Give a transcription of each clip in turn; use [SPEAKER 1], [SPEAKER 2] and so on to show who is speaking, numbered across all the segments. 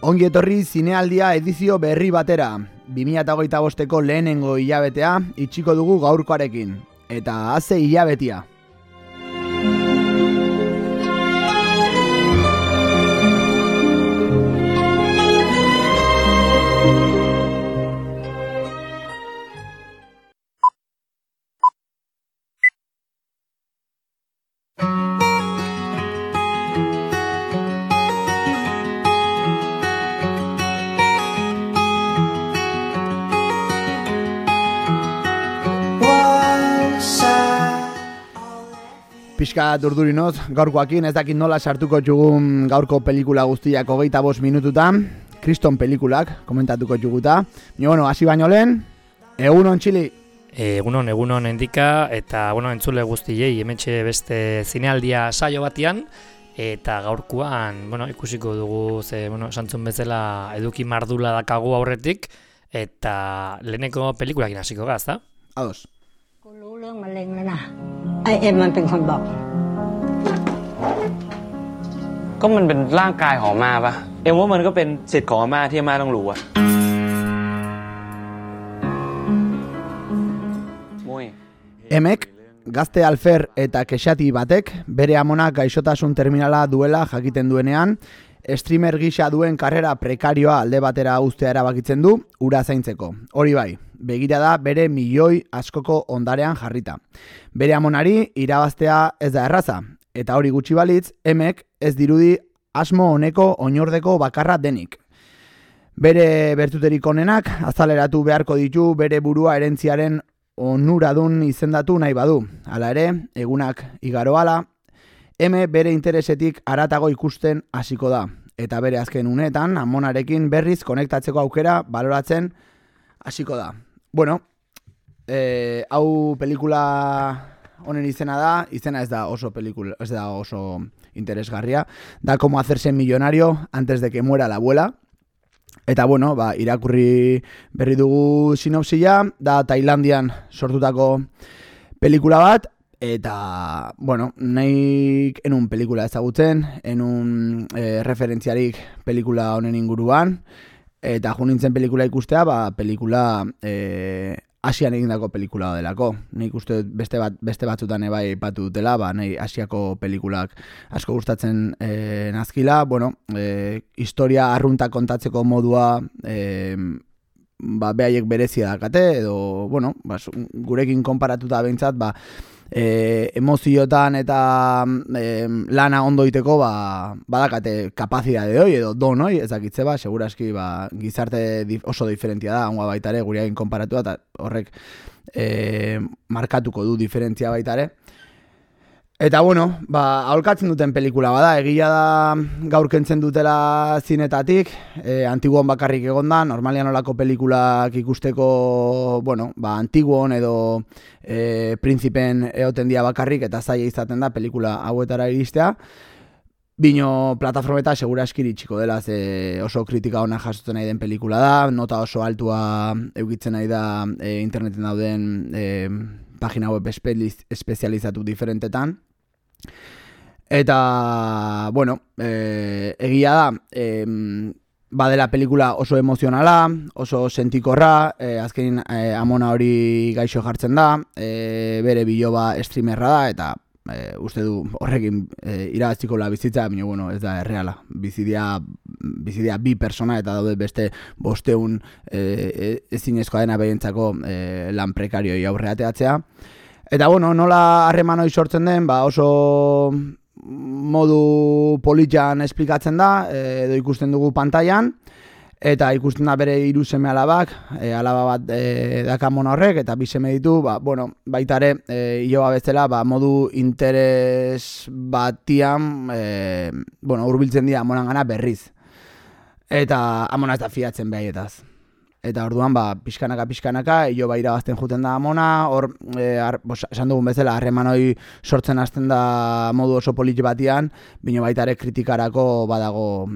[SPEAKER 1] Ongi etorri zinealdia edizio berri batera. 2025ko lehenengo hilabetea itxiko dugu gaurkoarekin. Eta haze hilabetea. Pixka durdurinoz, gaurkoakin ez dakit nola sartuko txugun gaurko pelikula guztiak 25 minututan, kriston pelikulak komentatuko txuguta. Bueno, hasi baino lehen, egunon Txili.
[SPEAKER 2] Egunon endika, eta entzule guztiei hementxe beste zinealdia saio batian, eta gaurkoan, ikusiko dugu, santzun bezala eduki mardula dakagu aurretik, eta leheneko pelikulakin hasiko gaz, da?
[SPEAKER 1] Ados.
[SPEAKER 3] กูรู้เรื่องมะเร็งแล้วนะไอเอ็มมันเป็นคนบอก
[SPEAKER 4] ก็มันเป็นร่างกายของอาม่าปะเอ็มว่ามันก็เป็นสิทธิ์ของอาม่าที่อาม่าต้องรู้อะมุ้ย
[SPEAKER 1] Emek, gazte alfer eta kexati batek, bere amonak gaixotasun terminala duela jakiten duenean, streamer gisa duen karrera prekarioa alde batera uztea erabakitzen du, ura zaintzeko. Hori bai, begira da bere milioi askoko ondarean jarrita. Bere amonari irabaztea ez da erraza, eta hori gutxi balitz, Emek ez dirudi asmo honeko oinordeko bakarra denik. Bere bertuterik onenak azaleratu beharko ditu bere burua erentziaren onuradun izendatu nahi badu. Hala ere, egunak igaro hala, Eme bere interesetik haratago ikusten hasiko da, eta bere azken uneetan amonarekin berriz konektatzeko aukera baloratzen hasiko da. Bueno, hau pelikula honen izena ez da oso pelikula, ez da oso interesgarria, da como hacerse millonario antes de que muera la abuela. Eta irakurri berri dugu sinopsia, da Tailandian sortutako pelikula bat, eta, nahi enun pelikula ezagutzen, enun referentziarik pelikula honen inguruan, eta nintzen pelikula ikustea, pelikula Asian egindako pelikula delako. Nik uste beste batzutan ebai patu dutela, nahi Asiako pelikulak asko gustatzen nazkila, historia arrunta kontatzeko modua behaiek berezia dakate, edo, gurekin konparatuta behintzat, emoziotan eta lana ondo iteko badakate kapazidade hoi edo don hoi, ezakitze seguraski gizarte oso diferentia da, hangoa baitare gurekin konparatu eta horrek markatuko du diferentzia baitare. Eta aholkatzen duten pelikula bada, egia da gaur kentzen dutela zinetatik, Antiguon bakarrik egonda, normalian olako pelikulak ikusteko, Antiguon edo Prinzipen eoten dia bakarrik, eta zaila izaten da pelikula hauetara iristea. Bino plataformeta segura eskiritxiko dela, oso kritika ona jasotzen nahi den pelikula da, nota oso altua eukitzen nahi da interneten dauden pagina web espezializatu diferentetan. Eta, egia da, badela pelikula oso emozionala, oso sentikorra, azkenin amona hori gaixo jartzen da, bere biloba streamerra da, eta uste du horrekin irabaztiko la bizitza, baina ez da erreala. Bizidia bi persona eta daude beste 500 ezinezkoa dena behintzako lan prekarioi aurreateatzea. Eta nola harreman hori sortzen den, oso modu politxan esplikatzen da, edo ikusten dugu pantailan, eta ikusten da bere 3 seme alabak, alaba bat dakamon horrek, eta 2 seme ditu, baitare hiloba bezala, modu interes batian, hurbiltzen dira amonan gana berriz. Eta amona ez da fiatzen behaietaz. Eta orduan, pixkanaka, hilo irabazten juten da Amona, hor, esan dugun bezala, harreman hori sortzen hasten da modu oso polit batian, bino baita ere kritikarako badago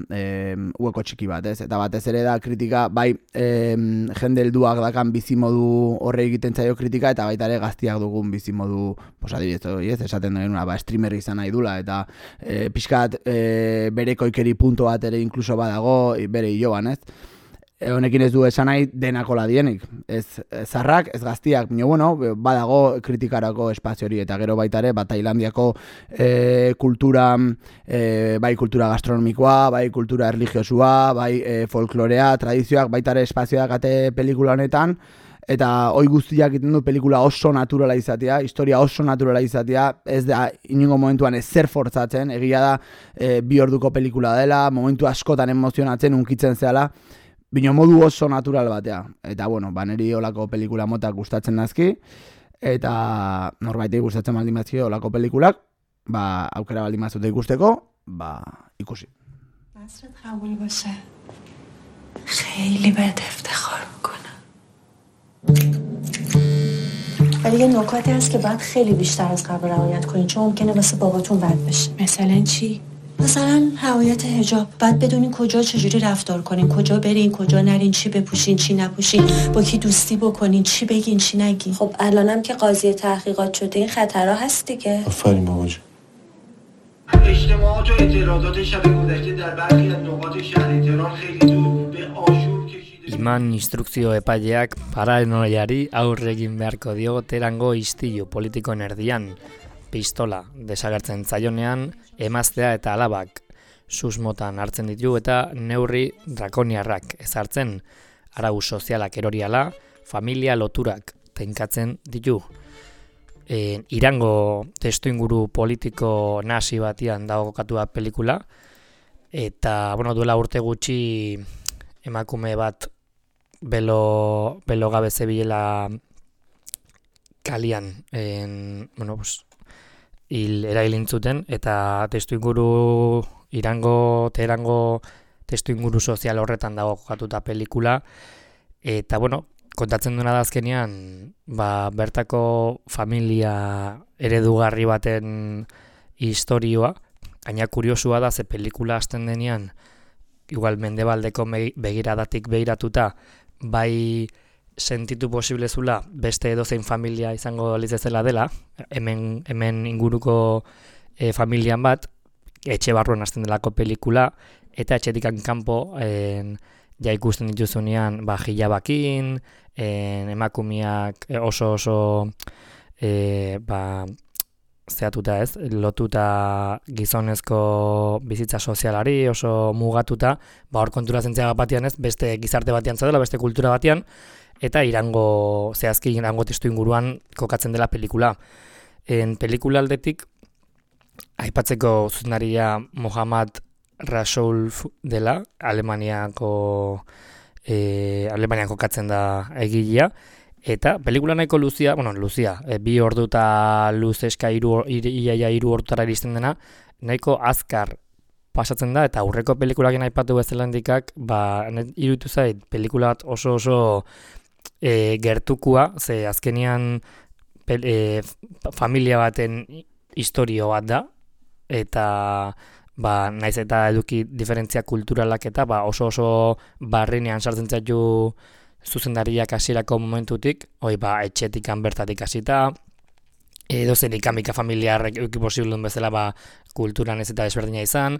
[SPEAKER 1] hueko txiki bat, ez? Eta batez ere da kritika, bai jende helduak dakan bizimodu horre egiten zaio kritika, eta baita ere gaztiak dugun bizimodu, adibidez, esaten duen, streamer izan nahi dula, eta pixkat bereko ikeri punto bat ere inkluso badago, bere hiloan, ez? Honekin ez du esan nahi denakola dienik. Ez zarrak, ez gaztiak, badago kritikarako espazio hori, eta gero baita ere, Tailandiako kultura, bai kultura gastronomikoa, bai kultura erligiosua, bai folklorea, tradizioak, baita ere espazioak ate pelikula honetan, eta hoi guztiak egiten du pelikula oso naturala izatea, historia oso naturala izatea, ez da inongo momentuan ezer fortzatzen, egia da bi orduko pelikula dela, momentu askotan emozionatzen, unkitzen zehala, bino modu oso natural batea. Eta, niri olako pelikula motak gustatzen nazki, eta norbaitei gustatzen baldin bazki olako pelikulak, aukera baldin bazute ikusteko, ikusi.
[SPEAKER 5] نصرت قبول باشه خیلی بهت افتخار میکنم ولی یه نکاتی هست که باید خیلی بیشتر از قبل رعایت کنین چون ممکنه واسه باباتون بد بشه. مثلا چی؟ مثلا رعایت حجاب. باید بدونین کجا چجوری رفتار کنین، کجا برین، کجا نرین، چی بپوشین، چی نپوشین، با کی دوستی بکنین، چی بگین، چی نگین. خب الانم که قاضی تحقیقات شده این خطرها هست دیگه.
[SPEAKER 6] آفرین بابا جون.
[SPEAKER 7] اجتماعات و اعتراضات شب گذشته در برخی از نقاط شهر تهران خیلی دور به آشوب کشیده.
[SPEAKER 2] Iman instrukzio epaileak paranoiari aurre egin beharko dio Teherango istilu politikoen erdian. Pistola desagertzen zaionean, emaztea eta alabak susmotan hartzen ditu eta neurri drakoniarrak ezartzen. Arau sozialak eroriala, familia loturak tenkatzen ditu. Irango testuinguru politiko nasi batian dago kokatua pelikula, eta duela urte gutxi emakume bat belo gabe zebilela kalian erailintzuten, eta testuinguru Teherango testuinguru sozial horretan dago kokatuta pelikula, eta kontatzen duena da azkenean, bertako familia eredugarri baten istorioa, gaina kuriosua da, ze pelikula hasten denean, igual mendebaldeko begiradatik begiratuta, bai sentitu posible zula beste edozein familia izango litzezela dela, hemen inguruko familian bat, etxe barruan hasten delako pelikula, eta etxetik kanpo ja ikusten dituzunean hilabakin, emakumeak oso zehatuta ez, lotuta gizonezko bizitza sozialari, oso mugatuta, hor konturatzen zea batean ez, beste gizarte batean zaudela, beste kultura batean, eta zehazki Irango testu inguruan kokatzen dela pelikula. Pelikula aldetik, aipatzeko zuzenaria Mohammad Rasoul dela, Alemanian kokatzen da egilea, eta pelikula nahiko luzia, bi ordu eta luzeska hiru ordutara iristen dena, nahiko azkar pasatzen da, eta aurreko pelikulakin aipatu bezala handikak, iruditu zait, pelikula bat oso gertukua, ze azkenian familia baten historio bat da, eta naiz eta eduki diferentzia kulturalak eta oso barrenean sartzen zaitu zuzendariak hasierako momentutik, etxetik bertatik hasita, edozen ikamika familiarrek euki posiblun bezala kulturan ez eta desberdina izan,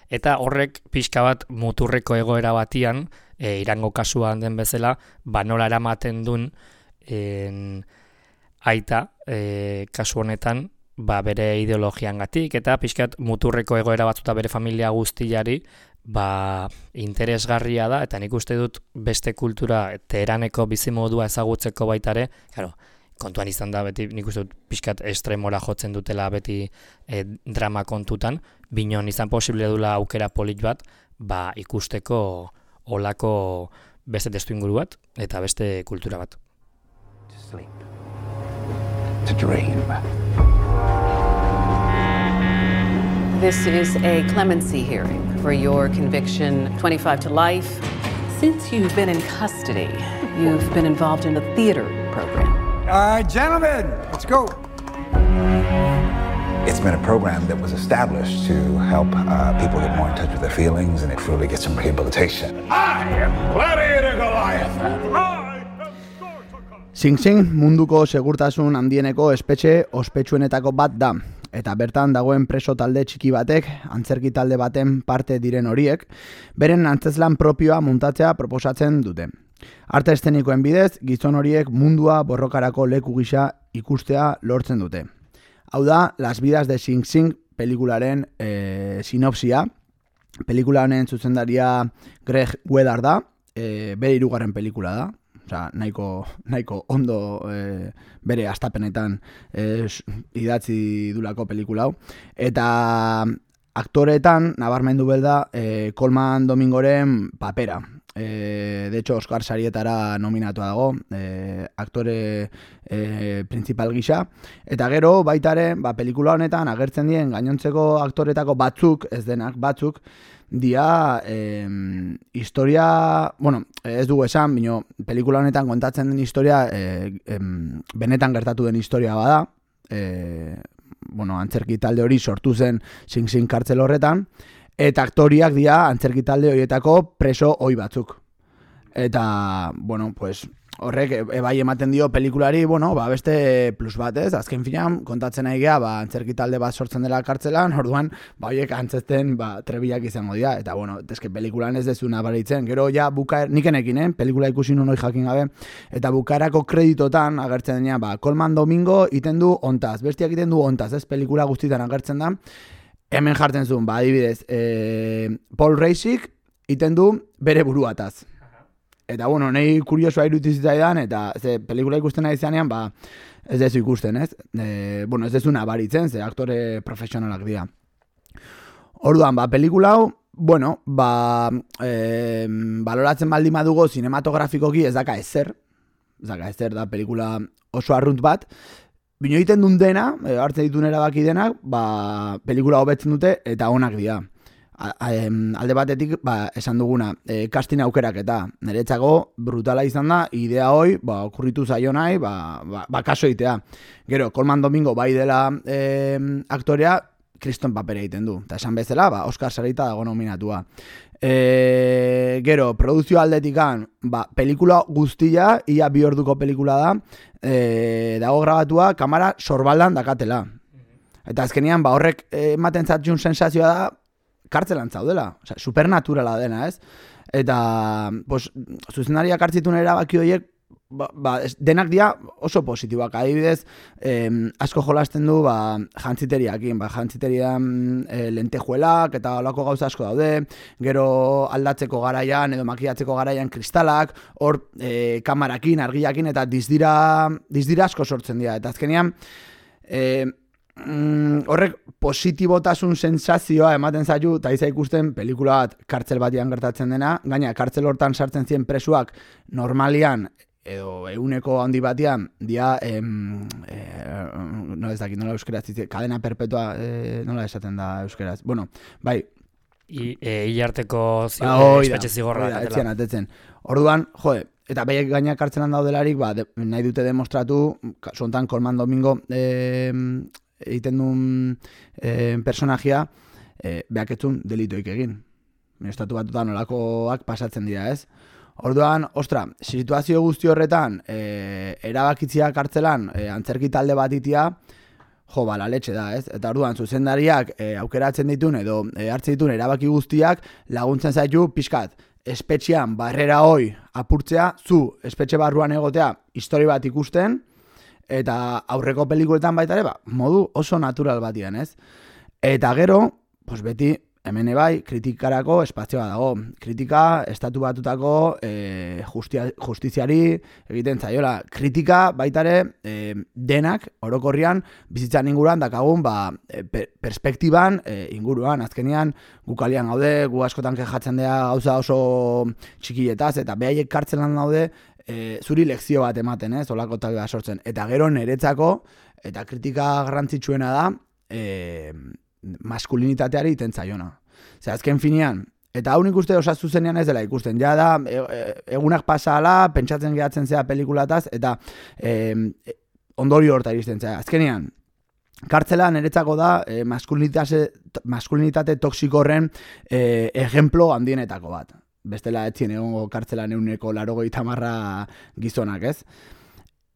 [SPEAKER 2] eta horrek pixka bat muturreko egoera batian, Irango kasuan den bezala, nola eramaten duen aita kasu honetan, bere ideologiangatik eta pixkat muturreko egoera batzuta bere familia guztiari interesgarria da, eta nik uste dut beste kultura Teheraneko bizimodua ezagutzeko baitare, kontuan izan da beti nik uste dut pixkat estremora jotzen dutela beti drama kontutan, binon izan posible dula aukera polit bat, ikusteko olako beste testu inguru bat eta beste kultura bat.
[SPEAKER 8] To sleep. To dream.
[SPEAKER 9] This is a clemency hearing for your conviction, 25 to life,
[SPEAKER 6] Since you've been in custody, you've been involved in a theater program.
[SPEAKER 8] Gentlemen, let's go. It's been a program that was established to help people get more in touch with their feelings and really get some rehabilitation. I am Gladiator Goliath.
[SPEAKER 1] Sing Sing munduko segurtasun handieneko espetxe ospetsuenetako bat da. Eta bertan dagoen preso talde txiki batek, antzerki talde baten parte diren horiek, beren antzezlan propioa muntatzea proposatzen dute. Arte eszenikoen bidez, gizon horiek mundua borrokarako leku gisa ikustea lortzen dute. Hau da, Las vidas de Sing Sing pelikularen sinopsia. Pelikula honen zuzendaria Greg Weddar da, bere 3. pelikula da. Osea, nahiko ondo bere astapenetan idatzi dulako pelikula hau. Eta aktoreetan nabarmendu belda Colman Domingoren papera. De hecho, Oscar sarietara nominatua dago, aktore principal gisa. Eta gero, baitare, pelikula honetan agertzen dien gainontzeko aktoretako batzuk, ez denak batzuk, dia historia, bueno, ez dugu esan, bino, pelikula honetan kontatzen den historia benetan gertatu den historia bada, bueno, antzerki talde hori sortu zen Sing Sing kartzel horretan, eta aktoriak dira antzerki talde horietako preso ohi batzuk. Eta, bueno, pues, horrek bai ematen dio pelikulari, bueno, beste plus bat, ez? Azken finean, kontatzen nahi gea, antzerki talde bat sortzen dela kartzelan, orduan, horiek antzesten, trebilak izango dira. Eta, bueno, eske pelikulan ez dezu nabaritzen. Gero, ja, nikenekin, pelikula ikusi nun hori jakin gabe, eta bukaerako kreditotan agertzen denean, Colman Domingo iten du ontaz, bestiak iten du ontaz, ez? Pelikula guztietan agertzen da. Hemen jartzen zuen, adibidez, Paul Reisik iten du bere buruataz. Eta, bueno, nahi kuriosoa irutizitzaidan, eta pelikula ikusten nahi zanean, ez dezu ikusten, ez? Bueno, ez dezu nabaritzen, ze aktore profesionalak dira. Orduan, pelikula hau, bueno, baloratzen baldin badugu sinematografikoki ez daka ezer da pelikula oso arrunt bat, bino egiten duen dena, hartzen dituen erabaki denak, pelikula hobetzen dute eta onak dira. Alde batetik, esan duguna, casting aukerak eta niretzako brutala izan da, idea hoi, okurritu zaio nahi, kaso egitea. Gero, Colman Domingo bai dela aktorea, kriston papera egiten du. Eta esan bezala, Oscar sarita dago nominatua. Gero, produzio aldetikan, pelikula guztia, ia 2 orduko pelikula da, dago grabatua, kamera sorbaldan dakatela. Eta azkenean, horrek ematen zatxun sensazioa da, kartzelan zaudela, supernaturala dena, ez? Eta, zuzendariak hartzitun erabaki horiek, denak dira oso positiboak. Adibidez, asko jolasten du jantziteriakin, jantziteriean lentejuelak eta olako gauza asko daude, gero aldatzeko garaian edo makiatzeko garaian kristalak, hor kamarakin, argiakin eta dizdira asko sortzen dira. Eta azkenean, horrek positibotasun sensazioa ematen zaitu, eta iza ikusten pelikula bat kartzel batian gertatzen dena, gaina kartzel hortan sartzen ziren presuak normalian edo eguneko handi batian dia no ez dakit, nola euskeraz kadena perpetua, nola esaten da euskeraz, bueno, bai
[SPEAKER 2] hilarteko espetxe zigorra
[SPEAKER 1] atetzen. Orduan, eta behiek gaina kartzelan daudelarik, nahi dute demostratu, zontan Colman Domingo egiten duen personajia behaketzun delitoik egin. Estatu batutan nolakoak pasatzen dira, ez? Orduan, situazio guzti horretan erabakitzia kartzelan antzerki talde bat itia, la letxe da, ez? Eta orduan, zuzendariak aukeratzen ditun edo hartzen ditun erabaki guztiak laguntzen zaitu pixkat espetxean barrera hoi apurtzea, zu espetxe barruan egotea histori bat ikusten, eta aurreko pelikuletan baita ere, modu oso natural batian, ez? Eta gero, beti, hemen bai, kritikarako espazioa dago. Kritika, estatu batutako justiziari egiten zaiola. Kritika baita ere, denak, orokorrian, bizitzan inguruan, dakagun, perspektiban inguruan. Azkenean, gukalian gaude, gu askotan kejatzen dira gauza oso txikietaz, eta behaiek kartzelan daude, zuri lekzio bat ematen, olako talde bat sortzen. Eta gero niretzako, eta kritika garrantzitsuena da, maskulinitateari iten zaiona. Azken finean, Eta hau nik uste osatu zenean ez dela ikusten. Ja da, egunak pasala, pentsatzen gehatzen zea pelikulataz, eta ondorio horta iristen zea. Azkenean, kartzela niretzako da maskulinitate toksiko horren ejemplo handienetako bat. Bestela etzien egongo kartzelan 180 gizonak, ez?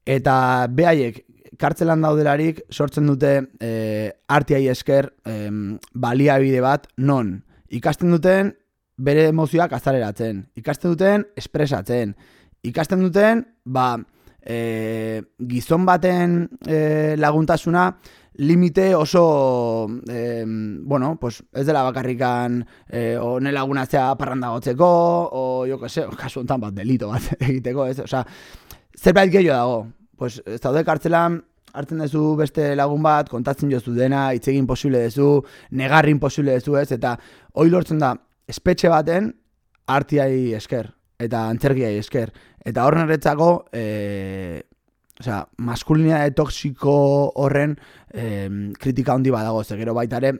[SPEAKER 1] Eta behaiek, kartzelan daudelarik sortzen dute artiai esker baliabide bat non ikasten duten bere emozioak azaleratzen, ikasten duten espresatzen, ikasten duten gizon baten laguntasuna limite oso pues ez dela bakarrikan one lagunatzea parranda gotzeko o jo que sé, kasu hontan bat delito bat egiteko, ez? Osea, zerbait gehiago dago. Pues ez daude kartzelan hartzen duzu beste lagun bat, kontatzen jozu dena, hitz egin posible duzu, negarrin posible duzu, ez? Eta hori lortzen da espetxe baten artiai esker eta antzerkiai esker. Eta horren erretzako maskulinitate toksiko horren kritika handi badago, ze gero baita ere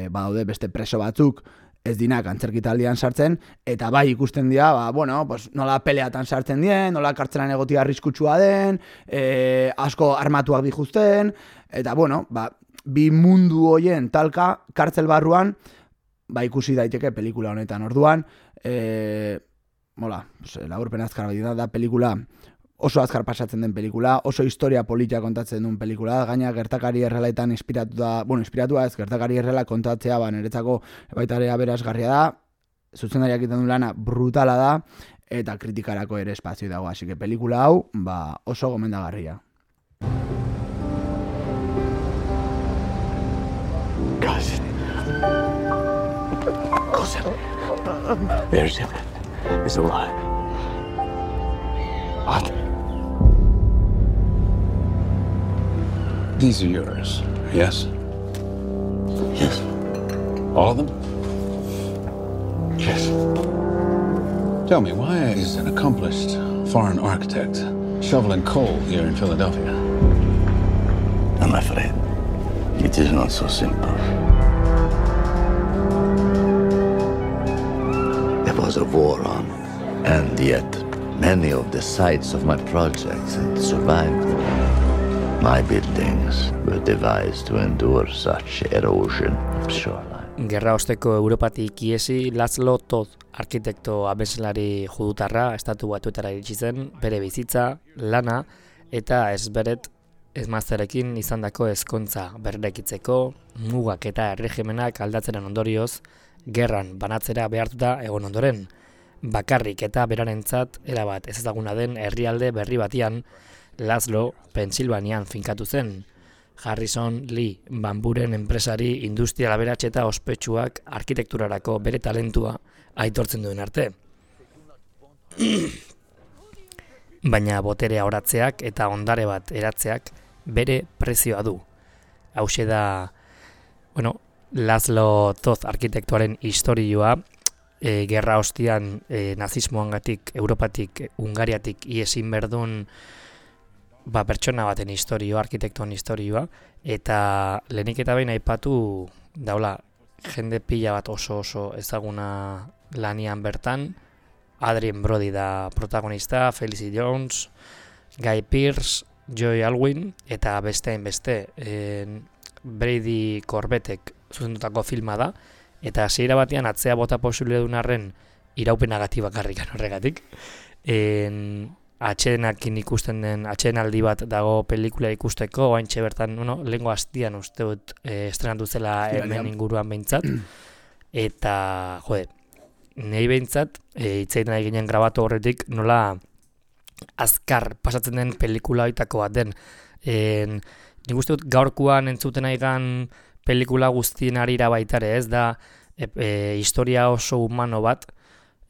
[SPEAKER 1] badaude beste preso batzuk ez dinak antzerkitaldian sartzen, eta bai ikusten dira, pues, nola peleatan sartzen dien, nola kartzelan egotia arriskutsua den, asko armatuak dijuzten, eta bi mundu hoien talka kartzel barruan, ikusi daiteke pelikula honetan. Orduan, laburpen azkar da pelikula, oso azkar pasatzen den pelikula, oso historia politia kontatzen duen pelikula, gaina gertakari errealetan inspiratua ez, gertakari erreala kontatzea, niretzako baita ere aberasgarria da, zuzendariak egiten du lana brutala da, eta kritikarako ere espazio dago, así que pelikula hau, oso gomendagarria.
[SPEAKER 9] Cousin. Berzin is alive. What?
[SPEAKER 8] These are yours, yes?
[SPEAKER 9] Yes.
[SPEAKER 8] All of them?
[SPEAKER 9] Yes.
[SPEAKER 8] Tell me, why is an accomplished foreign architect shoveling coal here in Philadelphia?
[SPEAKER 9] I'm afraid it is not so simple. There was a war on, and yet many of the sites of my projects had survived. My buildings were devised to endure such erosion of shoreline.
[SPEAKER 2] Gerra osteko Europatik iesi Laszlo Toth arkitekto abeslari judutarra estatu batuetara iritsi zen, bere bizitza, lana eta ezmazterekin izandako ezkontza berrekitzeko, mugak eta erregimenak aldatzeren ondorioz, gerran banatzera behartuta egon ondoren, bakarrik eta berarentzat erabat ezaguna den herrialde berri batian, Laszlo Pensilvanian finkatu zen. Harrison Lee bamburen enpresari industrial aberats eta ospetsuak arkitekturarako bere talentua aitortzen duen arte. Baina boterea oratzeak eta ondare bat eratzeak bere prezioa du. Hauxe da, Laszlo Toth arkitektuaren istorioa, gerra ostian nazismoangatik, Europatik, Hungariatik iesin berdun pertsona baten istorioa, arkitektuan istorioa, eta lehenik eta behin aipatu daula jende pila bat oso ezaguna lanian bertan. Adrien Brody da protagonista, Felicity Jones, Guy Pearce, Joy Alwyn, eta beste Brady Corbetek zuzendutako filma da, eta hasiera batean atzea bota posible duen arren iraupenagatik bakarrikan horregatik. Atxedenakin ikusten den atxedenaldi bat dago pelikula ikusteko, oaintxe bertan, lehengo hastian uste dut estrenatu zela hemen inguruan behintzat, eta, nahi behintzat, hitzeiten nahi ginen grabatu horretik, nola azkar pasatzen den pelikula hoitako bat den. Nik uste dut gaurkoan entzuten aigan pelikula guztien arira baitare, ez da historia oso humano bat,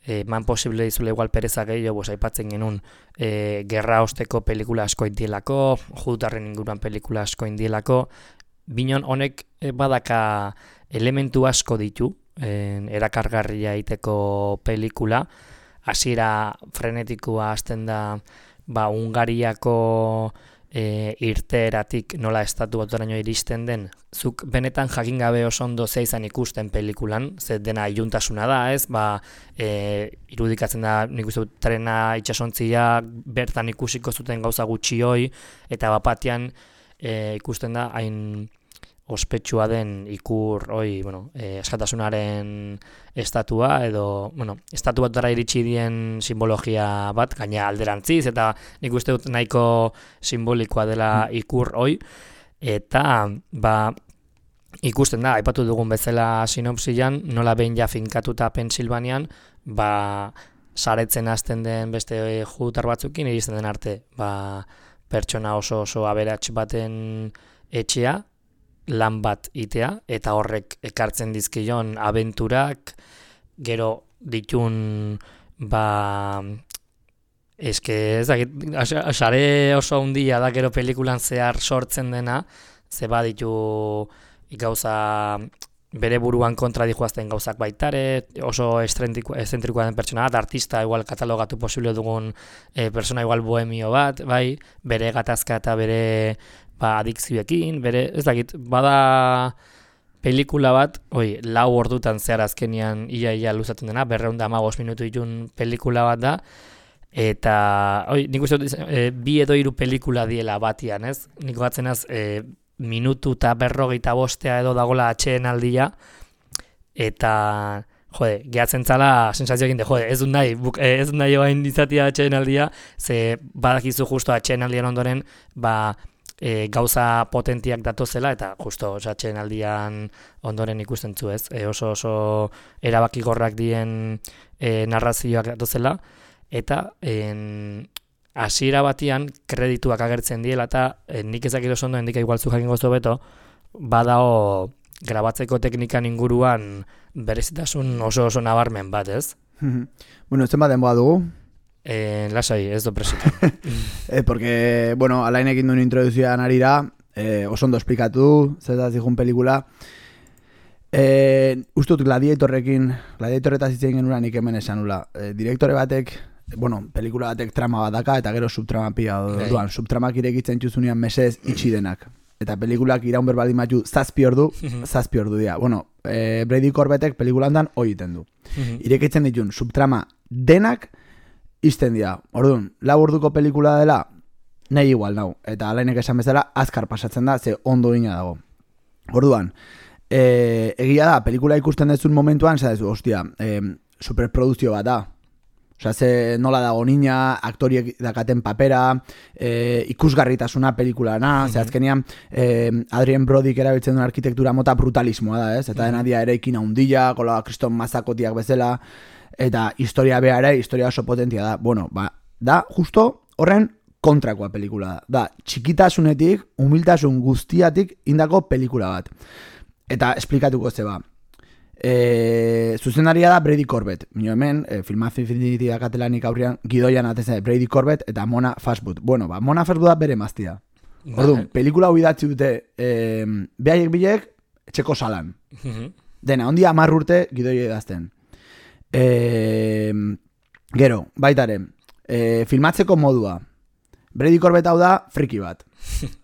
[SPEAKER 2] eman posible dizule igual pereza gehiago, aipatzen genuen gerra osteko pelikula asko indielako, judutarren inguruan pelikula asko indielako, binon honek badaka elementu asko ditu, erakargarria iteko pelikula, hasiera frenetikoa hasten da Hungariako irteeratik nola estatu batuaraino iristen den, zuk benetan jakin gabe oso ondo zea izan ikusten pelikulan, ze dena iluntasuna da, ez, irudikatzen da, nik uste dut trena itxasontzia bertan ikusiko zuten gauza gutxioi, eta bapatian ikusten da hain ospetsua den ikur askatasunaren estatua edo, estatu batara iritsi dien simbologia bat, gaina alderantziz, eta nik uste dut nahiko simbolikoa dela ikur hoi, eta ikusten da, aipatu dugun bezala sinopsian, nola behin ja finkatuta Pensilvanian, saretzen hasten den beste judutar batzukin, iristen den arte, pertsona oso aberats baten etxea, lan bat itea, eta horrek ekartzen dizkion abenturak, gero ditun, sare oso handia da gero pelikulan zehar sortzen dena, ze baditu gauza bere buruan kontra dijoazten gauzak baitare, oso eszentrikoa den pertsona bat, artista igual katalogatu posible dugun persona igual bohemio bat, bere gatazka eta bere adikzioekin, ez dakit, bada pelikula bat, 4 ordutan zehar azkenian ia luzatzen dena, 215 minutu ditun pelikula bat da, eta nik uste dut 2 edo 3 pelikula diela batian, ez? Nik batzenaz minutu eta 45 edo dagola atxeenaldia, eta gehatzen zala sensazioekin de, ez dut nahi oain izatea atxeenaldia, ze badakizu justo atxeenaldian ondoren, gauza potentiak datozela, eta justo atxeenaldian ondoren ikusten zu, ez? Oso erabakigorrak dien narrazioak datozela, eta hasiera batian kredituak agertzen diela, eta nik ezakit oso ondo, endika igual zu jakin gozo beto, badao grabatzeko teknikan inguruan berezitasun oso nabarmen bat, ez?
[SPEAKER 1] Bueno, zenbat denboa dugu?
[SPEAKER 2] Lasai, ez do presita.
[SPEAKER 1] Porque, alainekin duen introduzioan arira, oso ondo esplikatu, zetaz dihun pelikula. Ustut gladiatorretaz itzen genuran nik hemen esan nula. Direktore batek, pelikula batek trama bat daka, eta gero subtrama pila duan. Subtramak irekitzen txuzunean mesez itxi denak. Eta pelikulak iraun berbaldin batu 7 ordu dira. Brady Corbetek pelikulan dan hoi iten du. Irekitzen ditun subtrama denak izten dira. Orduan, 4 orduko pelikula dela, nahi igual nau. Eta alainek esan bezala, azkar pasatzen da, ze ondo ina dago. Orduan, egia da, pelikula ikusten dezun momentuan, ostia, superproduzio bat da. Osa, ze nola dago nina, aktoriek dakaten papera, ikusgarritasuna pelikulana, ze azkenian Adrien Brodyk erabiltzen duen arkitektura mota brutalismoa da, ez? Eta dena dia eraikin handia, kola kriston mazakotiak bezala, eta historia beha historia oso potentia da. Da justo horren kontrakoa pelikula da. Da, txikitasunetik, humiltasun guztiatik indako pelikula bat. Eta esplikatuko zeba. Zuzendaria da Brady Corbett. Mino hemen, Filmaz Infinity dakatelanik aurrean, gidoian atezen Brady Corbett eta Mona Fastwood. Mona Fastwood da bere maztia. Orduan, pelikula hau idatzi dute behaiek bilek etxeko salan. Dena, ondia 10 urte gidoi edazten. Gero, baitare, filmatzeko modua. Brady Corbett hau da friki bat.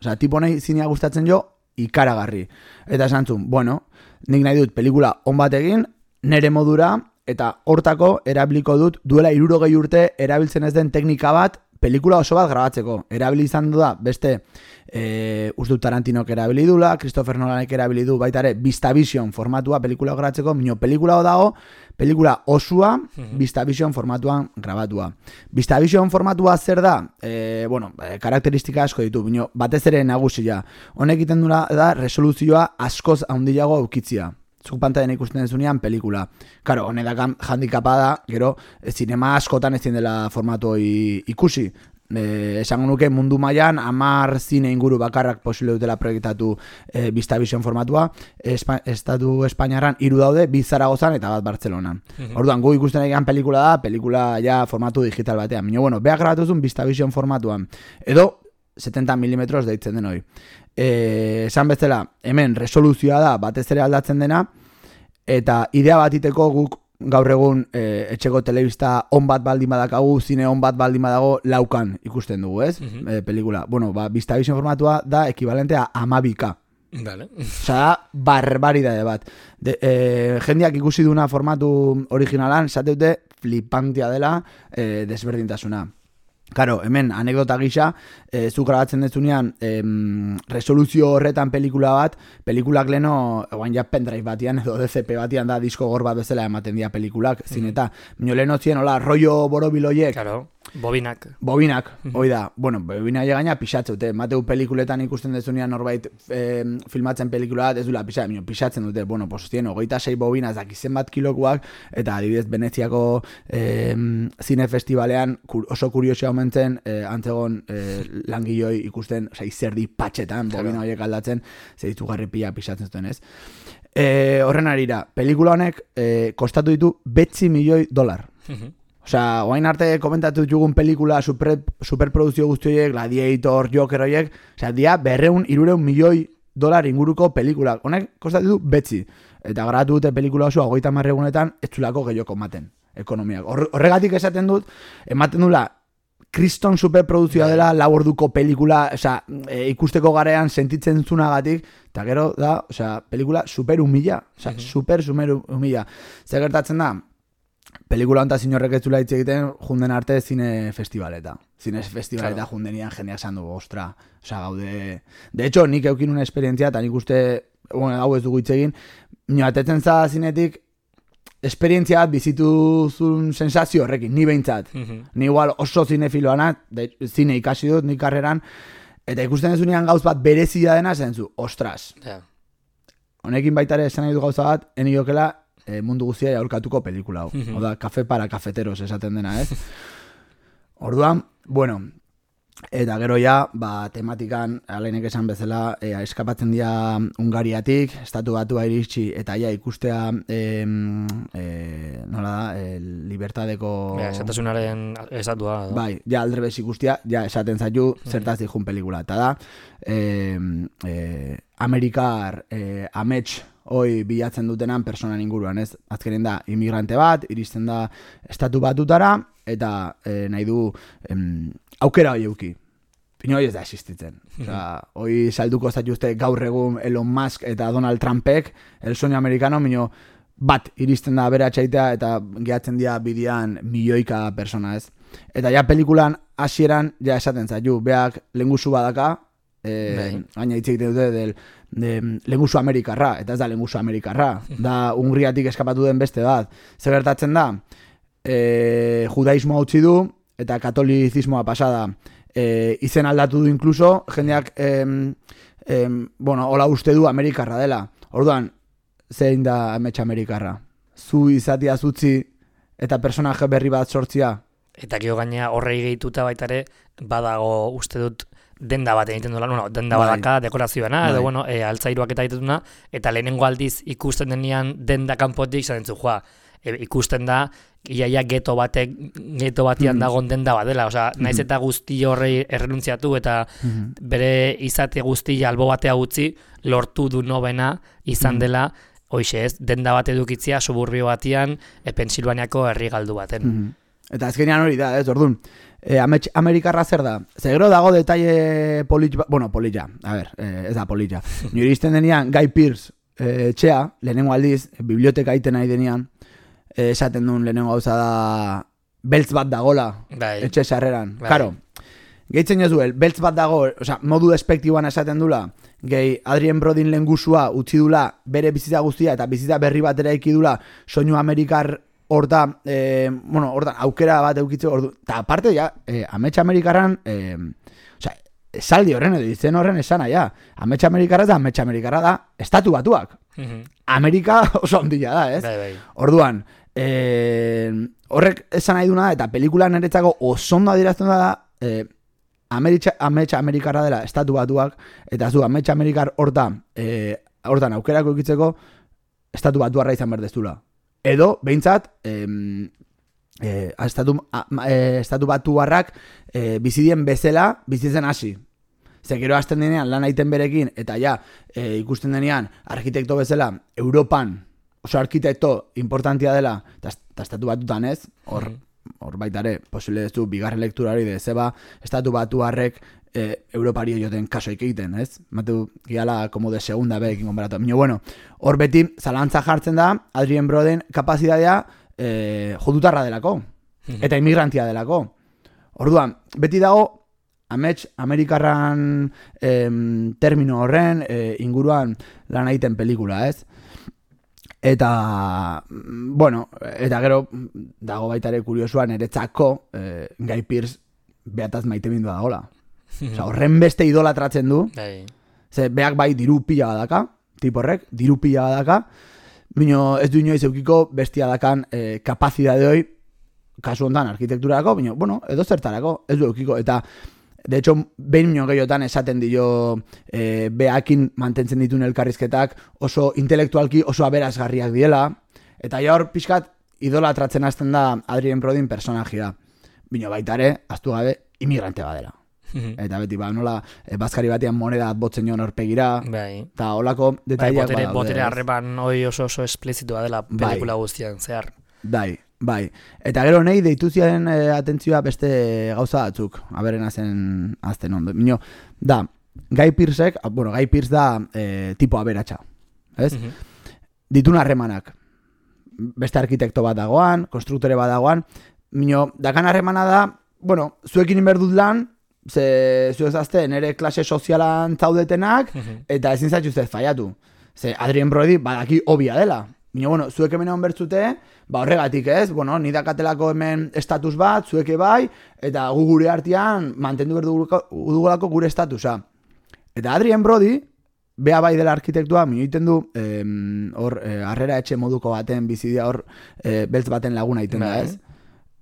[SPEAKER 1] Osa, tipo nahi zinea gustatzen jo, ikaragarri. Eta esan zuen, nik nahi dut pelikula on bat egin, nere modura, eta hortako erabiliko dut duela 60 urte erabiltzen ez den teknika bat, pelikula oso bat grabatzeko. Erabili izan du da, beste, uste Tarantinok erabili dula, Christopher Nolanek erabili du, baitare, VistaVision formatua pelikula grabatzeko, pelikula dago, pelikula osua, VistaVision formatuan grabatua. VistaVision formatua zer da? Karakteristika asko ditu, batez ere nagusia. Honek egiten dula da, resoluzioa askoz handiago aukitzia. Zuk pantailan ikusten dezunean pelikula. Karo, honedakan handikapa da, gero, zinema askotan ezin dela formatu ikusi. Esango nuke mundu mailan 10 zine inguru bakarrak posible dutela proiektatu VistaVision formatua. Estatu Espainiarran 3 daude, 2 Zaragozan eta 1 Bartzelonan. Orduan, gu ikusten egan pelikula da, pelikula ja formatu digital batean. Mino, beha grabatuzun VistaVision formatuan. Edo, 70 mm deitzen den hori. Esan bezala, hemen resoluzioa da batez ere aldatzen dena, eta idea bat iteko guk gaur egun etxeko telebista on bat baldin badakagu, zine on bat baldin badago, laukan ikusten dugu, ez? Pelikula. Bueno, Vistavision formatua da ekivalentea 12K.
[SPEAKER 2] Vale.
[SPEAKER 1] Osa, barbaridade bat. Jendeak ikusi duna formatu originalan, zateute flipantia dela desberdintasuna. Karo, hemen anekdota gisa, zu grabatzen dezunean resoluzio horretan pelikula bat, pelikulak leno, oain ja pendrive batian edo DCP batian da disko gor bat bezala ematen dira pelikulak, zineta. Mino leno zien, hola, rollo borobiloiek.
[SPEAKER 2] Claro, bobinak.
[SPEAKER 1] Hoi da. Bueno, bobina gaina pixatzute. Mateu pelikuletan ikusten dezunean norbait filmatzen pelikula bat, ez dula pixatzen dute. Bueno, pues zien, 26 bobina, dakizen bat kilokuak, eta adibidez Veneziako zine festivalean oso kuriosia omentzen, antzegon langiloi ikusten, izerdi patxetan, bobina horiek aldatzen, zeitugarri pila pixatzen zuten, ez? Horren arira, pelikula honek kostatu ditu $9 milioi. Osea, oain arte komentatu ditugun pelikula superproduzio guztioiek, Gladiator, Joker horiek, osea, dia $200-300 milioi inguruko pelikulak. Honek kostatu ditu 9. Eta grabatu dute pelikula oso 30 egunetan ez zulako gehioko ematen ekonomiak. Horregatik esaten dut, ematen dula kriston superproduzioa dela, 4 orduko pelikula, osea, ikusteko garean sentitzen zunagatik, eta gero da, osea, pelikula super humila, osea, super humila. Zer gertatzen da? Pelikula honetan zinorrek ez zula hitz egiten junden arte zine festivaleta. Zine festivaleta jundenian jendeak esan dugu, ostra, osea, gaude... De hecho, nik eukin una esperientzia, eta nik uste, bueno, hau ez dugu hitz egin, atetzen za zinetik, esperientzia bat bizituzun sensazio horrekin, ni behintzat. Ni igual oso zinefiloana, zine ikasi dut, nik karreran, eta ikusten dezunean gauz bat berezia dena, zentzu, ostras. Honekin baitare esan nahi du gauza bat, eniokela, mundu guztia aurkatuko pelikula hau. Oda, kafe para kafeteros esaten dena, ez? Orduan, bueno, eta gero ja, tematikan, aleinek esan bezala, eskapatzen dira Hungariatik, estatu batua iritsi, eta ja ikustea, nola da, libertadeko...
[SPEAKER 2] Esatasunaren esatua.
[SPEAKER 1] Bai, ja aldrebez ikustea, ja esaten zaitu, zertaz dihun pelikula. Eta da, Amerikar amets hoi bilatzen dutenan personan inguruan, ez? Azkenen da, imigrante bat, iristen da estatu batutara, eta nahi du aukera hoi euki. Pino hoi ez da existitzen. Hoi salduko zaituzte gaur egun Elon Musk eta Donald Trumpek, el sueño americano, mino bat iristen da bere atxaitea, eta gehatzen dira bidean milioika persona, ez? Eta ja pelikulan hasieran ja esaten zaitu, beak lengusu badaka, baina hitz egiten dute lengusu amerikarra, eta ez da lengusu amerikarra, da Hungriatik eskapatu den beste bat. Zer gertatzen da, judaismoa utzi du, eta katolizismoa pasada, izen aldatu du inkluso, jendeak, bueno, hola uste du amerikarra dela. Orduan, zein da amets amerikarra? Zu izatia zutzi, eta personaje berri bat sortzia?
[SPEAKER 2] Eta gero gaina horrei gehituta baitare, badago uste dut, denda bat egiten duela, bueno, denda badaka, dekorazioana, edo, bueno, altzairuak eta egiten duna, eta lehenengo aldiz ikusten denean denda kanpotik, zaten zu, ikusten da, iaia geto batian dagoen denda bat dela, osea, naiz eta guzti horrei errenuntziatu, eta bere izate guzti albo batea utzi, lortu du nobena izan dela, hoixe ez, denda bat edukitzia, suburbio batian, Pensilvaniako herri galdu baten.
[SPEAKER 1] Eta azkenean hori da, ez, orduan, Amerikarra zer da? Zegero dago detalle polilla, a ver, ez da polilla. Nire izten denean, Guy Pearce etxea, lehenengo aldiz, biblioteka iten nahi denean, esaten duen lehenengo gauza da, beltz bat dagola, etxe sarreran. Karo, gehitzen jozuel, beltz bat dago, oza, modu despektiboan esaten dula, gehi Adrien Brodin lehengusua utzi dula bere bizitza guztia, eta bizitza berri bat eraiki dula, soinu Amerikar hortan, bueno, hortan, aukera bat eukitzeko, eta aparte, ja, amets Amerikarran, esaldi horren, edo izen horren esana, ja, amets Amerikarra da, estatu batuak. Amerika oso ondila da, ez? Orduan, horrek esan nahi duna, eta pelikulan niretzako osondo adierazten da, amets Amerikarra dela estatu batuak, eta zu, amets Amerikar hortan aukerako eukitzeko, estatu batuarra izan berdeztula. Edo, behintzat, estatu batuarrak bizidien bezala, bizitzen hasi. Zekero hasten denean lan aiten berekin, eta ja, ikusten denean, arkitekto bezala, Europan, oso arkitekto importantia dela, eta estatu batutan ez, hor baitare, posible ez du, bigarren lektura hori de zeba, estatu batuarrek Europari joten kasoik egiten, ez? Matu, giala, como de segunda bekin konparatu. Mino, bueno, hor beti, zalantza jartzen da, Adrien Broden kapazitatea jodutarra delako, eta inmigrantia delako. Orduan, beti dago, amets, Amerikarran termino horren inguruan lan egiten pelikula, ez? Eta, bueno, eta gero, dago baitare kuriosuan, eretzako, Guy Pearce behataz maite bindu dagoela. Osa, horren beste idolatratzen du. Ze, beak bai diru pila badaka, tiporrek, diru pila badaka, bino ez du inoiz eukiko bestia dakan kapazidade hoi, kasu hontan arkitekturako, bino, bueno, edo zertarako, ez du eukiko, eta de hecho, behin mino gehiotan esaten dio beakin mantentzen dituen elkarrizketak oso intelektualki oso aberasgarriak diela, eta hor pixkat idolatratzen hasten da Adrien Brodin personajia. Bino baitare, aztu gabe, imigrante badela. Eta beti, nola, bazkari batean moneda botzen joan horpegira, eta holako detaileak badaude.
[SPEAKER 2] Botere harreman hoi oso esplizitua dela pelikula guztian, zehar.
[SPEAKER 1] Bai. Eta gero nahi deituziaren atentzioa beste gauza batzuk, aberen azten ondo. Mino, da, Guy Pearce da tipo aberatsa, ez? Ditun harremanak. Beste arkitekto bat dagoan, konstruktore bat dagoan, mino, dakan harremana da, bueno, zuekin inberdut lan, ze zuezazte nere klase sozialan zaudetenak, eta ezin zaituz ez faiatu. Ze Adrien Brody badaki obia dela. Bino, bueno, zuek hemen egon bertzute, horregatik ez, bueno, nidakatelako hemen estatus bat, zueke bai, eta gu gure artean mantendu berdugulako gure estatusa. Eta Adrien Brody, bea bai dela arkitektua, minoiten du, hor, harrera etxe moduko baten, bizidia hor, beltz baten laguna iten da ez.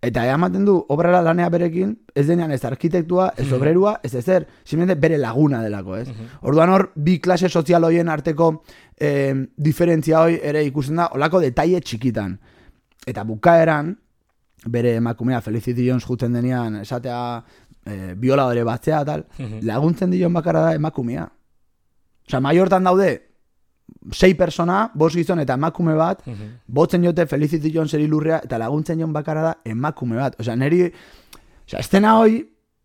[SPEAKER 1] Eta ematen du, obrara lanea berekin, ez denean ez arkitektua, ez obrerua, ez ezer, simplemente bere laguna delako, ez? Orduan hor, bi klase sozial hoien arteko diferentzia hoi ere ikusten da, olako detaile txikitan. Eta bukaeran, bere emakumea Felicity Jones juten denean, esatea bioladore batzea, tal, laguntzen dion bakarra da emakumea. Osa, maiortan daude, 6 persona, 5 gizon eta emakume bat, botzen jote Felicity Joneseri lurrea, eta laguntzen joan bakarra da emakume bat. Osa, neri, estena hoi,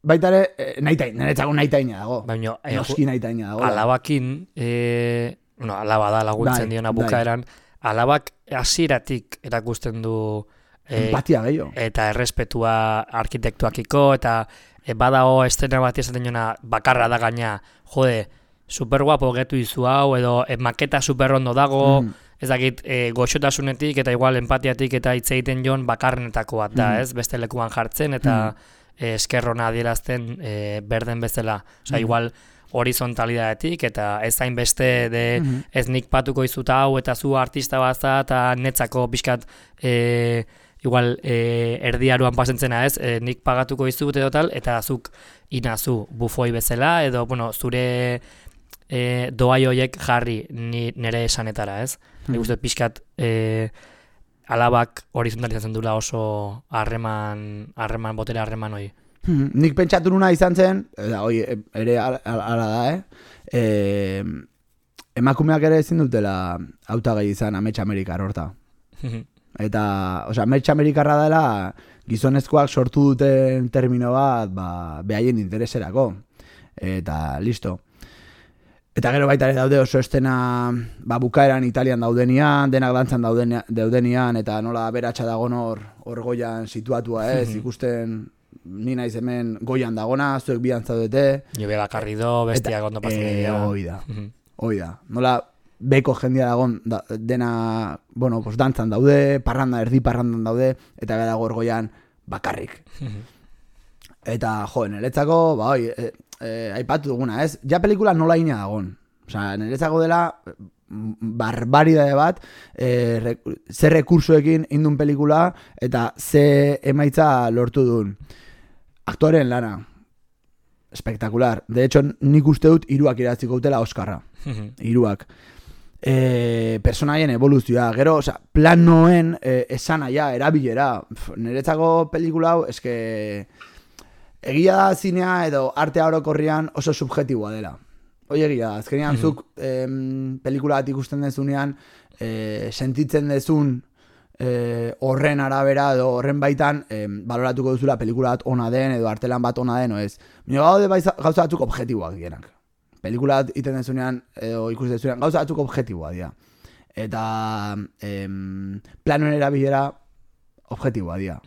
[SPEAKER 1] baitare, niretzako nahitaina dago. Noski nahitaina dago.
[SPEAKER 2] Alabakin, alaba da laguntzen diona bukaeran, alabak hasieratik erakusten du
[SPEAKER 1] empatia gehiago.
[SPEAKER 2] Eta errespetua arkitektuakiko, eta badao estena bat esaten jona bakarra da gaina, jode, super guapo getu izu hau, edo maketa super ondo dago, ez dakit goxotasunetik eta igual empatiatik eta hitz egiten joan bakarrenetako bat da, ez? Beste lekuan jartzen eta eskerrona adierazten berden bezala. Osa, igual horizontalidadetik eta ez hain beste ez nik patuko izuta hau eta zu artista bat eta netzako pixkat igual erdiaruan pasentzena ez, nik pagatuko izut edo tal, eta zuk inazu bufoi bezala, edo bueno, zure doai hoiek jarri nire esanetara, ez? Nik uste pixkat alabak horizontalizatzen dula oso botere harreman hoi.
[SPEAKER 1] Nik pentsatu nuna izan zen, ere ala da, emakumeak ere ezin dutela hautagai izan amets amerikar horta. Eta, amets amerikarra dela gizonezkoak sortu duten termino bat, behaien intereserako. Eta, listo. Eta gero baita ere daude oso estena bukaeran Italian daudenian, denak dantzan daudenian, eta nola beratxa dagon hor goian situatua ez, ikusten ni naiz hemen goian dagona, zuek bian zaudete.
[SPEAKER 2] Jobe bakarri do, bestiak ondo pasen egia.
[SPEAKER 1] Hoi da. Nola beko jendia dagon dena, bueno, dantzan daude, erdi parrandan daude, eta gara dago hor goian bakarrik. Eta, niretzako, aipatu duguna, ez? Ja pelikula nola ina dagon. Osa, niretzako dela barbaridade bat, ze rekursoekin indun pelikula, eta ze emaitza lortu duen. Aktoren lana. Espektakular. De hecho, nik uste dut 3 iratziko dutela Oskarra. 3. Personaien evoluzioa. Gero, planoen esanaia, erabilera. Niretzako pelikula hau, eske egia da zinea edo artea orokorrian oso subjetiboa dela. Hoi egia da, azkenean zuk pelikula bat ikusten dezunean sentitzen dezun horren arabera edo horren baitan baloratuko duzula pelikula bat ona den edo artelan bat ona den, ez. Baina gaude gauza batzuk objektiboak dienak. Pelikula bat iten dezunean edo ikusten dezunean gauza batzuk objektiboak dira. Eta planoen erabilera objektiboa dira.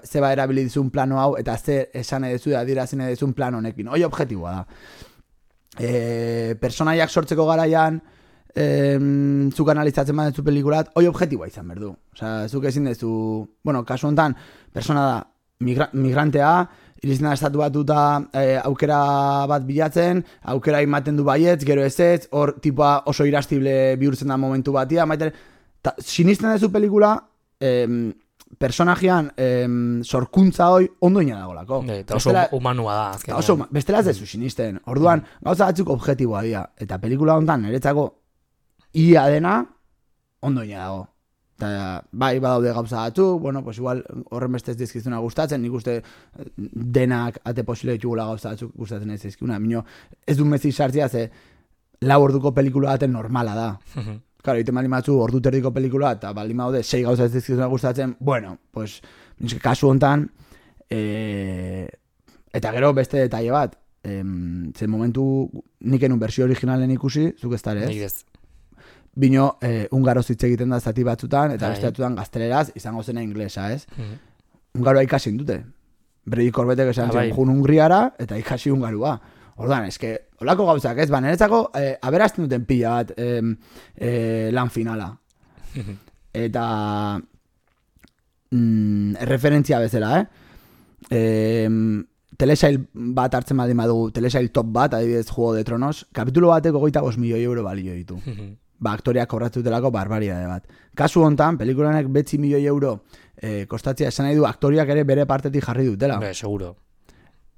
[SPEAKER 1] Zeba erabili dizun plano hau eta ze esan edezu adierazten edizun plano honekin. Hoi objektiboa da. Personaiak sortzeko garaian zuk analizatzen badezu pelikulat, hoi objektiboa izan berdu. Osea, zuk ezin dezu, bueno, kasu honetan, persona da migrantea, iristen da estatu batuta aukera bat bilatzen, aukera ematen du baietz, gero ez, hor tipoa oso irrastible bihurtzen da momentu batia, sinisten dezu pelikula, personajean sorkuntza hoi ondoina dagolako.
[SPEAKER 2] Eta oso humanua da.
[SPEAKER 1] Bestela ez dezu sinisten. Orduan, gauza batzuk objektiboa dira. Eta pelikula honetan, niretzako ia dena ondoina dago. Eta bai badaude gauza batzuk, bueno, pues igual horren beste ez dizkizuna gustatzen, nik uste denak ate posible ditugula gauza batzuk gustatzen ez dizkizuna. Mino, ez du mezi sartzea, ze 4 orduko pelikula baten normala da. Claro, egiten baldin batzu ordu terdiko pelikula eta baldin badaude 6 gauza ez dizkizuna gustatzen, bueno, pues kasu honetan eta gero beste detaile bat, zen momentu nik enun bersio originalen ikusi, zuk ez dara, ez?
[SPEAKER 2] Nik ez.
[SPEAKER 1] Bino, ungaroz hitz egiten da zati batzutan, eta beste batzutan gazteleraz, izango zena inglesa, ez? Ungaroa ikasin dute. Brady Corbetek esan zen jun Hungriara, eta ikasi ungarua. Orduan, eske, holako gauzak, ez? Niretzako, aberazten duten pila bat lan finala. Eta referentzia bezala, telesail bat hartzen baldin badugu, telesail top bat, adibidez Juego de Tronos, kapitulo bateko 25 milioi euro balio ditu. Aktoriak kobratzen barbaridade bat. Kasu hontan, pelikulanek 9 milioi euro kostatzea esan nahi du, aktoriak ere bere partetik jarri dutela.
[SPEAKER 2] Seguro.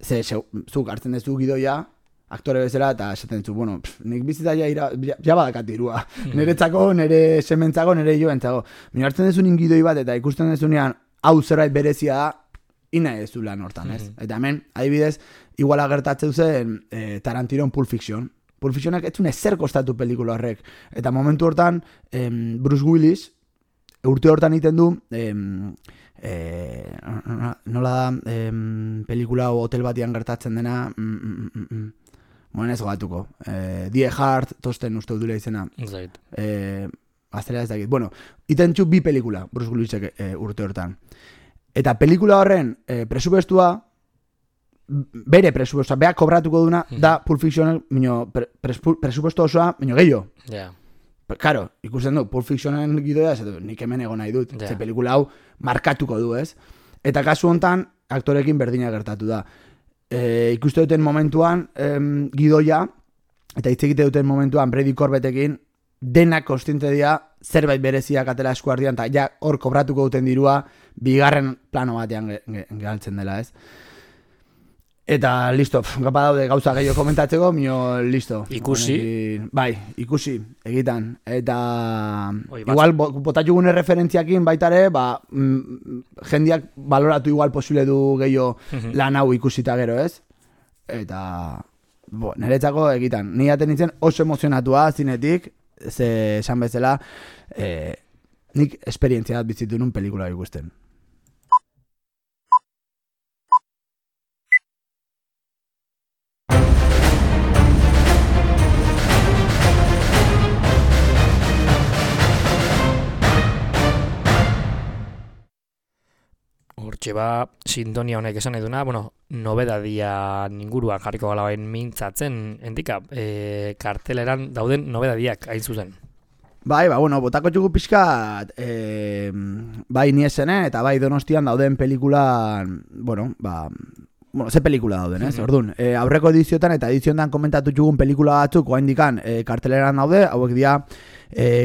[SPEAKER 1] Zuk hartzen dezu gidoia, aktore bezala, eta esaten zu, bueno, nik bizita ja badakat dirua. Niretzako, nire sementzako, nire joentzako. Mino hartzen dezu gidoi bat, eta ikusten dezunean, hau zerbait berezia da, ina ez du lan hortan, ez? Eta hemen, adibidez, iguala gertatzen zen Tarantinon Pulp Fiction. Pulp Fictionak ez zuen ezer kostatu pelikula horrek. Eta momentu hortan, Bruce Willis, urte hortan egiten du, nola da, pelikula hotel batian gertatzen dena, moen ez gogatuko. Die Hard, tosten uste dula izena. Gaztelera ez dakit. Bueno, iten txu 2 pelikula, Bruce Willisek urte hortan. Eta pelikula horren presupuestua, bere presupuestua, beha kobratuko duna, da Pulp Fiction, presupuesto osoa, gehiago. Claro, ikusten du, Pulp Fictionen gidoia, nik hemen egon nahi dut, ze pelikula hau markatuko du, ez? Eta kasu hontan, aktorekin berdina gertatu da. Ikuste duten momentuan, gidoia, eta hitz egite duten momentuan, Brady Corbettekin, denak kontziente dira zerbait bereziak atera eskuardian, eta ja hor kobratuko duten dirua, bigarren plano batean galtzen dela, ez? Eta listo, gapa daude gauza gehiago komentatzeko, mio listo.
[SPEAKER 2] Ikusi.
[SPEAKER 1] Bai, ikusi, egitan. Eta igual botatxugune referentziakin baitare, jendiak baloratu igual posible du gehiago lan hau ikusita gero, ez? Eta niretzako egitan. Ni aten nintzen oso emozionatua zinetik, ze esan bezala, nik esperientzia bat bizitu nun pelikula ikusten.
[SPEAKER 2] Hortxe sintonia honek esan eduna, nobedadia inguruan jarriko gala bain mintzatzen, endika, karteleran dauden nobedadiak hain zuzen.
[SPEAKER 1] Bai, botako txugu pixkat, bai niesene eta bai Donostian dauden pelikulan, ze pelikula dauden, ez? Orduan, aurreko ediziotan eta edizioetan komentatu txugun pelikula batzuk, oaindikan karteleran daude, hauek dira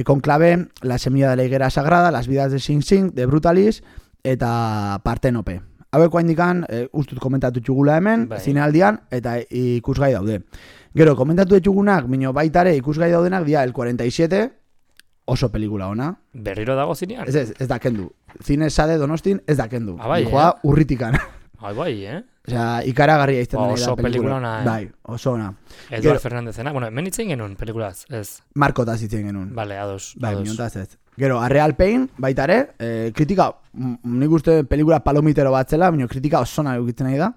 [SPEAKER 1] Conclave, La semilla de la higuera sagrada, Las vidas de Sing Sing, de Brutalis, eta Partenope. Haueko handikan, ustut komentatu txugula hemen, zinealdian, eta ikusgai daude. Gero, komentatu txugunak, minio baitare ikusgai daudenak, dia El 47, oso pelikula ona.
[SPEAKER 2] Berriro dago zinean?
[SPEAKER 1] Ez da kendu. Zine sade Donostin ez da kendu.
[SPEAKER 2] Bai,
[SPEAKER 1] joa urritikan.
[SPEAKER 2] Bai,
[SPEAKER 1] Osea, ikaragarria izten da
[SPEAKER 2] oso pelikula ona,
[SPEAKER 1] Bai, oso ona.
[SPEAKER 2] Eduard Fernandezena, bueno, hemen itzen genuen pelikulaz, ez?
[SPEAKER 1] Markotaz itzen genuen.
[SPEAKER 2] Vale, ados.
[SPEAKER 1] Bai, minuntaz ez. Gero, Real Pain, baita ere, kritika, nik uste pelikula palomitero bat zela, baina kritika oso nahi ukitzen nahi da.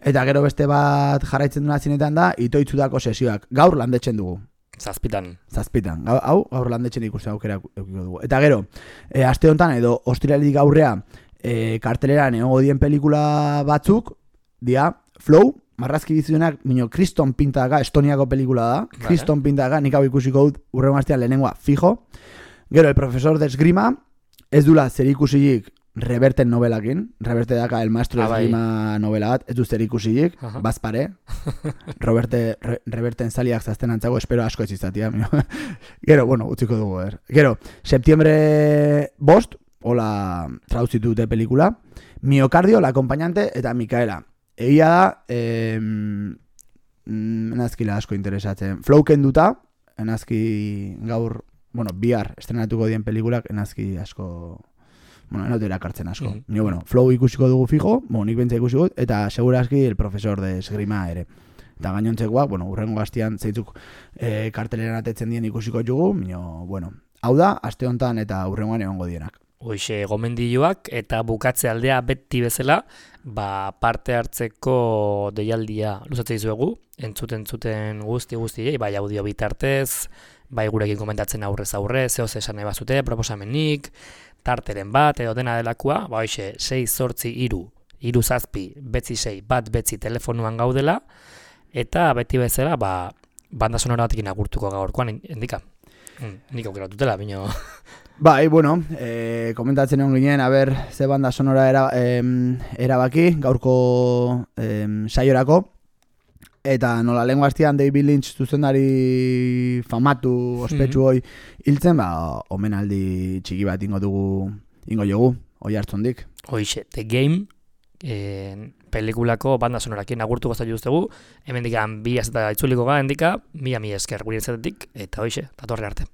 [SPEAKER 1] Eta gero beste bat jarraitzen duna zinetan da, Itoitzudako sesioak. Gaur landetzen dugu.
[SPEAKER 2] Zazpitan.
[SPEAKER 1] Hau, gaur landetzen ikusten aukera eukiko dugu. Eta gero, aste honetan edo ostiraletik aurrea karteleran egongo dien pelikula batzuk, dia, Flow, marrazki bizuenak, minio, Kriston Pintaka, Estoniako pelikula da. Vale. Kriston Pintaka, nik hau ikusiko dut urrengo astean lehenengoa fijo. Gero, el profesor de esgrima, ez dula zer ikusilik Reverten novelakin. Reverte daka el maestro de esgrima novela bat, ez du zer ikusilik, bazpare. Reverten zaliak zazten antzago, espero asko ez izatia. Gero, bueno, utziko dugu, Gero, septiembre 5, hola traduzitu dute pelikula, Miocardio, la acompañante, eta Mikaela. Egia da, enazkila asko interesatzen. Flow kenduta, enazki gaur, bueno, bihar estrenatuko dien pelikulak, enazki asko, bueno, enote erakartzen asko. Ni, bueno, Flow ikusiko dugu fijo, nik bentsa ikusiko, eta segurazki el profesor de esgrima ere. Eta gainontzekoak, bueno, urrengo gaztian zeitzuk karteleran atetzen dien ikusiko dugu, bueno, hau da, aste hontan eta urrengoan egongo dienak.
[SPEAKER 2] Hoixe, gomendioak eta bukatze aldea beti bezala, parte hartzeko deialdia luzatzen dizuegu, entzuten guzti, bai audio bitartez, bai gurekin komentatzen aurrez aurre, zehoz esan nahi bazute, proposamenik, tarteren bat, edo dena delakoa, hoixe, 6-8-3-3-6 telefonuan gaudela, eta beti bezala, banda sonora batekin agurtuko gaurkoan, endika. Nik aukeratutela, bino...
[SPEAKER 1] Bai, bueno, komentatzen egon ginen, ze banda sonora erabaki, gaurko saiorako, eta nola lehen gaztian David Lynch zuzendari famatu ospetsu hoi hiltzen, omenaldi txiki bat ingo jogu, hoi hartzondik.
[SPEAKER 2] Hoixe, The Game, pelikulako banda sonorakin agurtuko zaitu duztegu, hemen dikan 2 eta itzuliko ga, endika, 1000 esker gure intzatetik, eta hoixe, datorre arte.